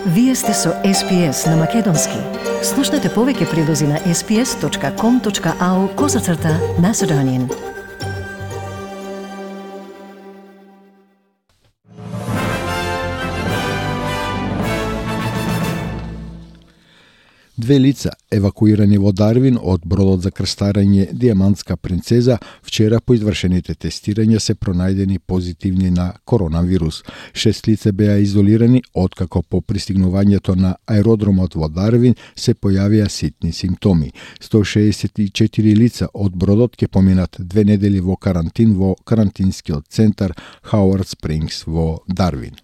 Вие сте со SPS на Македонски. Слушнете повеќе прилози на sps.com.au/Macedonian. Две лица, евакуирани во Дарвин од бродот за крстарење Диамантска принцеза, вчера по извршените тестирања се пронајдени позитивни на коронавирус. 6 лица беа изолирани откако по пристигнувањето на аеродромот во Дарвин се појавија ситни симптоми. 164 лица од бродот ќе поминат 2 недели во карантин во карантинскиот центар Хауард Спрингс во Дарвин.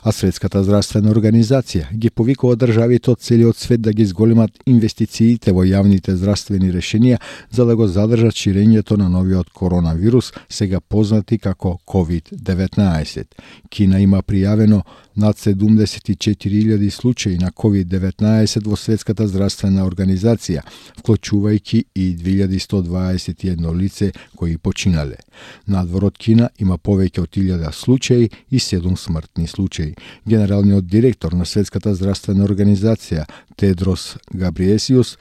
А Светската здравствена организација ги повикува државите од целиот свет да ги зголемат инвестициите во јавните здравствени решенија за да го задржат ширењето на новиот коронавирус, сега познати како COVID-19. Кина има пријавено над 74.000 случаи на COVID-19 во Светската здравствена организација, вклучувајќи и 2121 лице кои починале. Надвор од Кина има повеќе од 1000 случаи и 7 смртни случаи. Генералниот директор на Светската здравствена организација Тедрос Габриесиус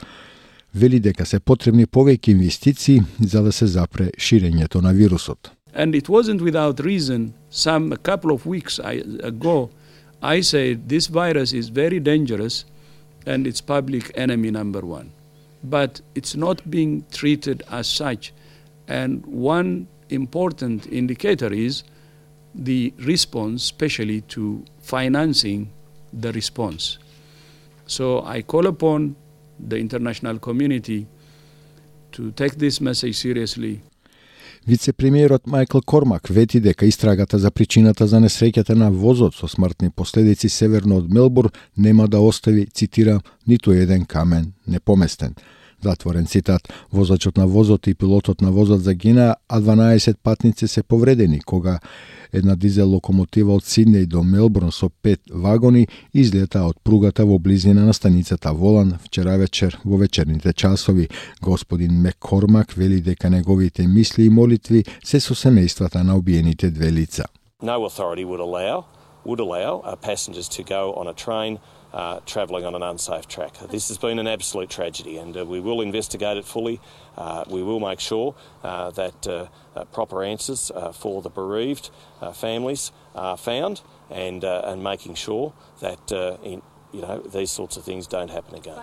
вели дека се потребни повеќе инвестиции за да се запре ширењето на вирусот. And it wasn't without reason. A couple of weeks ago, I said this virus is very dangerous and it's public enemy number one. But it's not being treated as such. And one important indicator is the response, especially to financing the response. So I call upon the international community to take this message seriously. Вице-премиерот Майкл Кормак вети дека истрагата за причината за несреќата на возот со смртни последици северно од Мелбурн нема да остави, цитира, ниту еден камен непоместен. Затворен цитат. Возачот на возот и пилотот на возот загинаа, а 12 патници се повредени кога една дизел локомотива од Сиднеј до Мелбурн со 5 вагони излета од пругата во близина на станицата Волан вчера вечер во вечерните часови. Господин Маккормак вели дека неговите мисли и молитви се со семејствата на убиените две лица. No authority would allow passengers to go on a train travelling on an unsafe track. This has been an absolute tragedy and we will investigate it fully. We will make sure that proper answers for the bereaved families are found and making sure that these sorts of things don't happen again.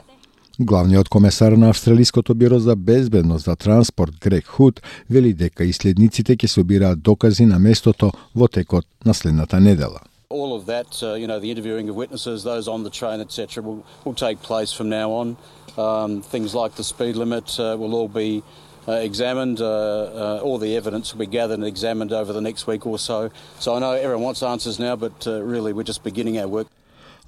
Главниот комесар на Австралиското биро за безбедност за транспорт Грег Худ вели дека исследниците ќе собираат докази на местото во текот на следната недела. All of that, the interviewing of witnesses, those on the train, etc., will take place from now on. Things like the speed limit will all be examined. All the evidence will be gathered and examined over the next week or so. So I know everyone wants answers now, but really we're just beginning our work.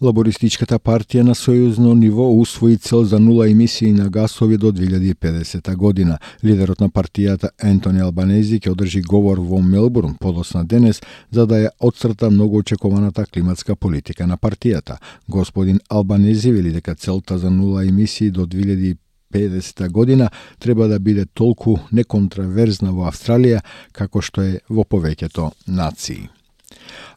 Лабористичката партија на сојузно ниво усвои цел за нула емисии на гасови до 2050 година. Лидерот на партијата Ентони Албанези ќе одржи говор во Мелбурн подоцна денес за да ја отцрта многу очекуваната климатска политика на партијата. Господин Албанези вели дека целта за нула емисии до 2050 година треба да биде толку неконтраверзна во Австралија како што е во повеќето нации.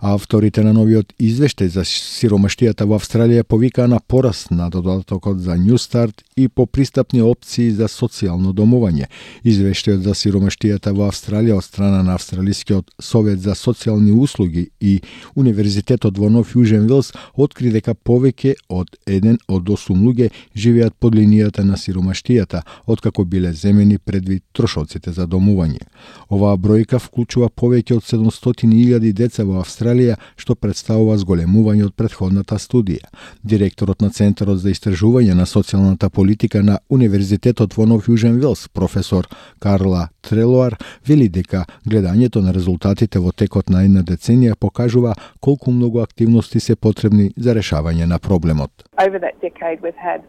Авторите на новиот извештај за сиромаштијата во Австралија повикаа на пораст на додатокот за Newstart и по пристапни опции за социјално домување. Извештајот за сиромаштијата во Австралија од страна на Австралискиот совет за социјални услуги и Универзитетот во Нов Јужен Велс откри дека повеќе од 1 од 8 луѓе живеат под линијата на сиромаштијата, откако биле земени предвид трошоците за домување. Оваа бројка вклучува повеќе од 700.000 деца во Австралија, што представува зголемување од претходната студија. Директорот на Центарот за истражување на социјалната политика на Универзитетот во Нов Јужен Велс, професор Карла Трелоар, вели дека гледањето на резултатите во текот на една деценија покажува колку многу активности се потребни за решавање на проблемот. Over that decade we've had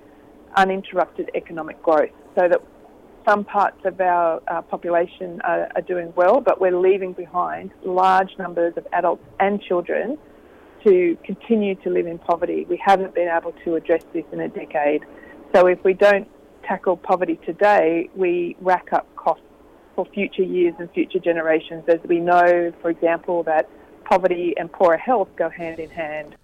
uninterrupted economic growth, so that some parts of our population are doing well, but we're leaving behind large numbers of adults and children to continue to live in poverty. We haven't been able to address this in a decade. So if we don't tackle poverty today, we rack up costs for future years and future generations, as we know, for example, that poverty and poorer health go hand in hand.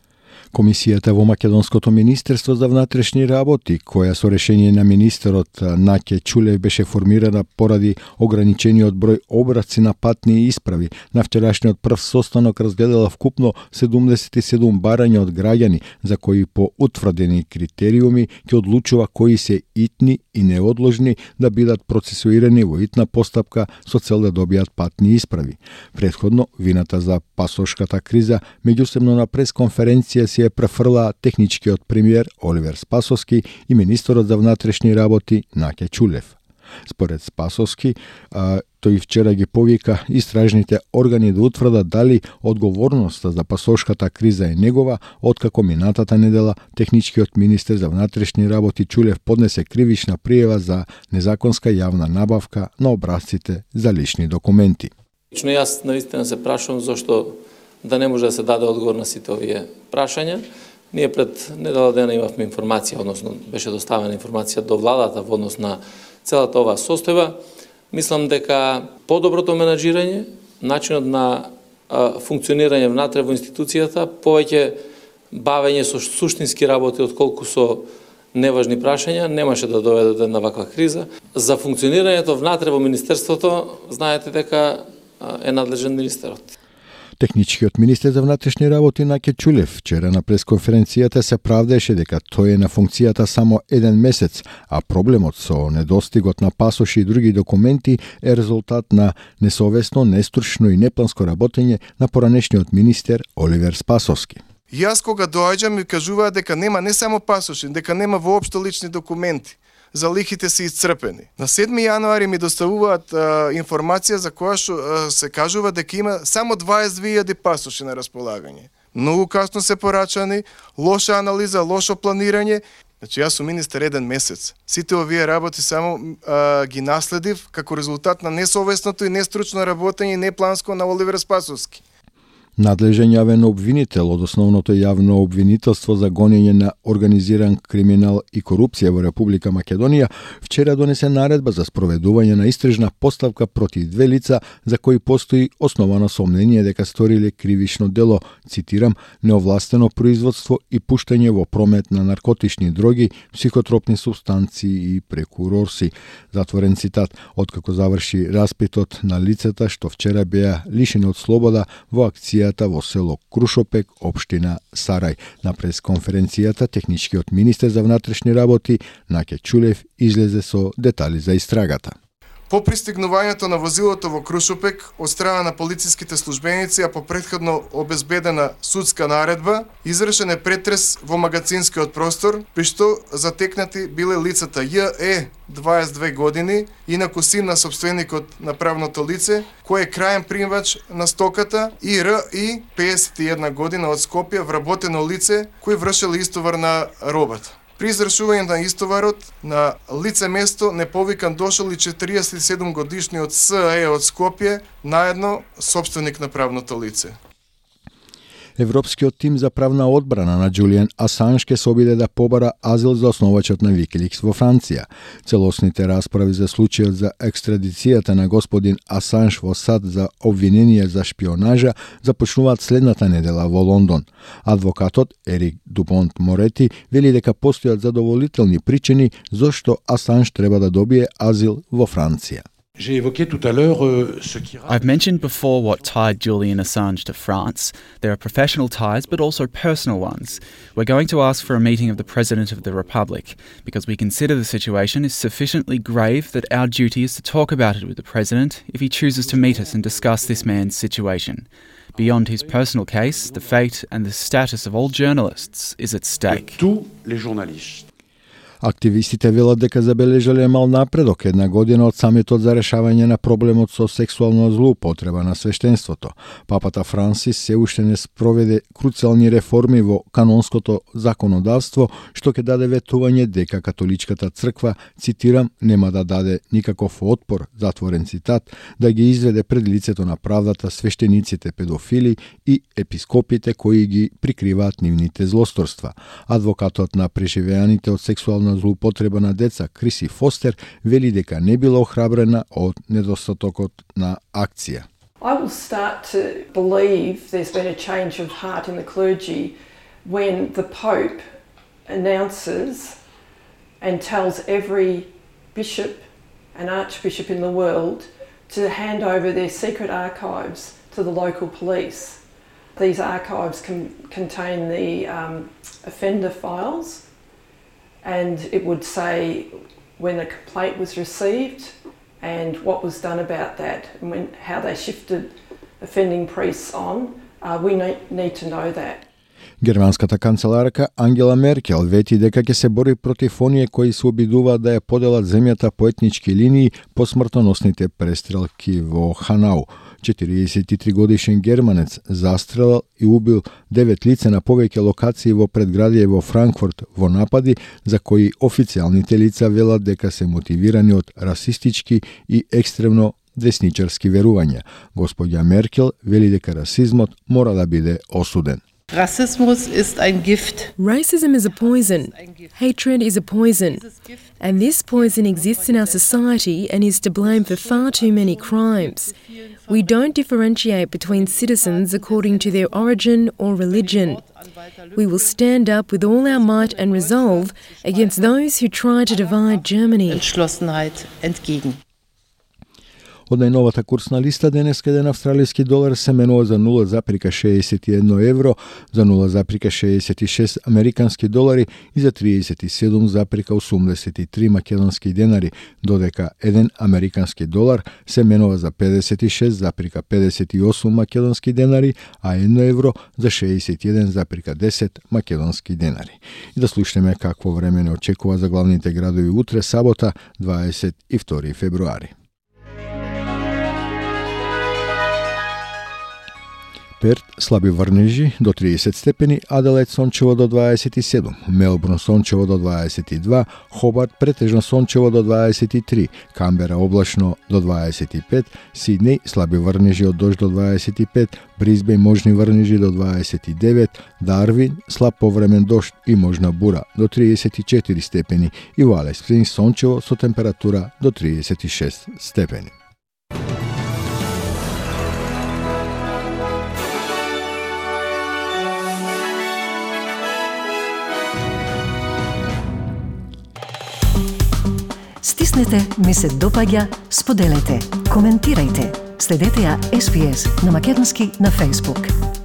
Комисијата во Македонското министерство за внатрешни работи, која со решение на министерот Наке Чулев беше формирана поради ограничениот број обраци на патни исправи, на вчерашниот прв состанок разгледала вкупно 77 барања од граѓани, за кои по утврдени критериуми ќе одлучува кои се итни и неодложни да бидат процесуирани во итна постапка со цел да добијат патни исправи. Претходно, вината за пасошката криза меѓусебно на пресконференција се ја префрла техничкиот премиер Оливер Спасовски и министерот за внатрешни работи Наке Чулев. Според Спасовски, тој вчера ги повика истражните органи да утврдат дали одговорноста за пасошката криза е негова, откако минатата недела техничкиот министер за внатрешни работи Чулев поднесе кривична пријава за незаконска јавна набавка на образците за лични документи. Лично јас навистина се прашувам зошто да не може да се даде одговор на сите овие прашања. Ние пред недела дена имавме информација, односно беше доставена информација до владата во однос на целата оваа состојба. Мислам дека подоброто менаџирање, начинот на функционирање внатре во институцијата, повеќе бавење со суштински работи отколку со неважни прашања, немаше да доведе до една ваква криза. За функционирањето внатре во министерството, знаете дека е надлежен министерот. Техничкиот министер за внатрешни работи Наке Чулев вчера на пресконференцијата се правдеше дека тој е на функцијата само 1 месец, а проблемот со недостигот на пасоши и други документи е резултат на несовесно, нестручно и непланско работење на поранешниот министер Оливер Спасовски. Јас кога доаѓам ми кажуваат дека нема не само пасоши, дека нема воопшто лични документи. Залихите се исцрпени. На 7 јануари ми доставуваат информација за која што се кажува дека има само 22.000 пасоши на располагање. Многу касно се порачани, лоша анализа, лошо планирање. Значи јас сум министер 1 месец. Сите овие работи само ги наследив како резултат на несовесното и нестручно работење и непланско на Оливер Спасовски. Надлежен јавен обвинител од основното јавно обвинителство за гонење на организиран криминал и корупција во Република Македонија вчера донесе наредба за спроведување на истражна поставка против 2 лица за кои постои основано сомнение дека сториле кривично дело, цитирам, неовластено производство и пуштање во промет на наркотични дроги, психотропни супстанции и прекурорси. Затворен цитат, откако заврши распитот на лицата што вчера беа лишени од слобода во акција во село Крушопек, општина Сарај. На пресконференцијата техничкиот министер за внатрешни работи Наке Чулев излезе со детали за истрагата. По пристигнувањето на возилото во Крушопек од страна на полициските службеници, а по претходно обезбедена судска наредба, извршен е претрес во магазинскиот простор, при што затекнати биле лицата J.E. 22 години, инаку син на собственикот на правното лице, кој е крајен примач на стоката, и Р.И. 51 година од Скопје, вработено лице кој вршел истовар на робата. При извршување на истоварот на лице место неповикан дошол и 47 годишниот С.Е. од Скопје, наедно собственик на правното лице. Европскиот тим за правна одбрана на Џулијан Асанж ке се обиде да побара азил за основачот на Викиликс во Франција. Целосните расправи за случајот за екстрадицијата на господин Асанж во САД за обвинение за шпионажа започнуваат следната недела во Лондон. Адвокатот Ерик Дупонт Морети вели дека постојат задоволителни причини зошто Асанж треба да добие азил во Франција. I've mentioned before what tied Julian Assange to France. There are professional ties, but also personal ones. We're going to ask for a meeting of the President of the Republic, because we consider the situation is sufficiently grave that our duty is to talk about it with the President if he chooses to meet us and discuss this man's situation. Beyond his personal case, the fate and the status of all journalists is at stake. Активистите велат дека забележале мал напредок една година од самитот за решавање на проблемот со сексуална злоупотреба на свештенството. Папата Франсис се уште не спроведе круцијални реформи во канонското законодавство, што ќе даде ветување дека католичката црква, цитирам, нема да даде никаков отпор, затворен цитат, да ги изведе пред лицето на правдата свештениците педофили и епископите кои ги прикриваат нивните злосторства. Адвокатот на преживеаните од сексуална злоупотреба на деца Криси Фостер вели дека не била охрабрена од недостатокот на акција. I will start to believe there's been a change of heart in the clergy when the Pope announces and tells every bishop and archbishop in the world to hand over their secret archives to the local police. These archives contain the offender files, and it would say when a complaint was received and what was done about that, and how they shifted offending priests on. We need to know that. Германската канцеларка Ангела Меркел вети дека ќе се бори против оние кои се обидуваат да ја поделат земјата по етнички линии по смртоносните престрелки во Ханау. 43 годишен германец застрелал и убил 9 лица на повеќе локации во предградие во Франкфурт во напади за кои официјалните лица велат дека се мотивирани од расистички и екстремно десничарски верувања. Господја Меркел вели дека расизмот мора да биде осуден. Rassismus ist ein Gift. Racism is a poison. Hatred is a poison. And this poison exists in our society and is to blame for far too many crimes. We don't differentiate between citizens according to their origin or religion. We will stand up with all our might and resolve against those who try to divide Germany. Entschlossenheit entgegen. Од најновата курсна листа денеска еден австралиски долар се менува за 0,61 евро, за 0,66 американски долари и за 37,83 македонски денари, додека еден американски долар се менува за 56,58 македонски денари, а 1 евро за 61,10 македонски денари. И да слушнеме какво време не очекува за главните градови утре, сабота, 22 февруари. Перт слаби врнежи до 30 степени, Аделаид сончево до 27, Мелбурн сончево до 22, Хобарт претежно сончево до 23, Камбера облачно до 25, Сиднеј слаби врнежи од дожд до 25, Бризбејн можни врнежи до 29, Дарвин слаб повремен дожд и можна бура до 34 степени и во Алис Спрингс сончево со температура до 36 степени. Стиснете, ми се допаѓа, споделете, коментирајте. Следете ја SPS на Македонски на Facebook.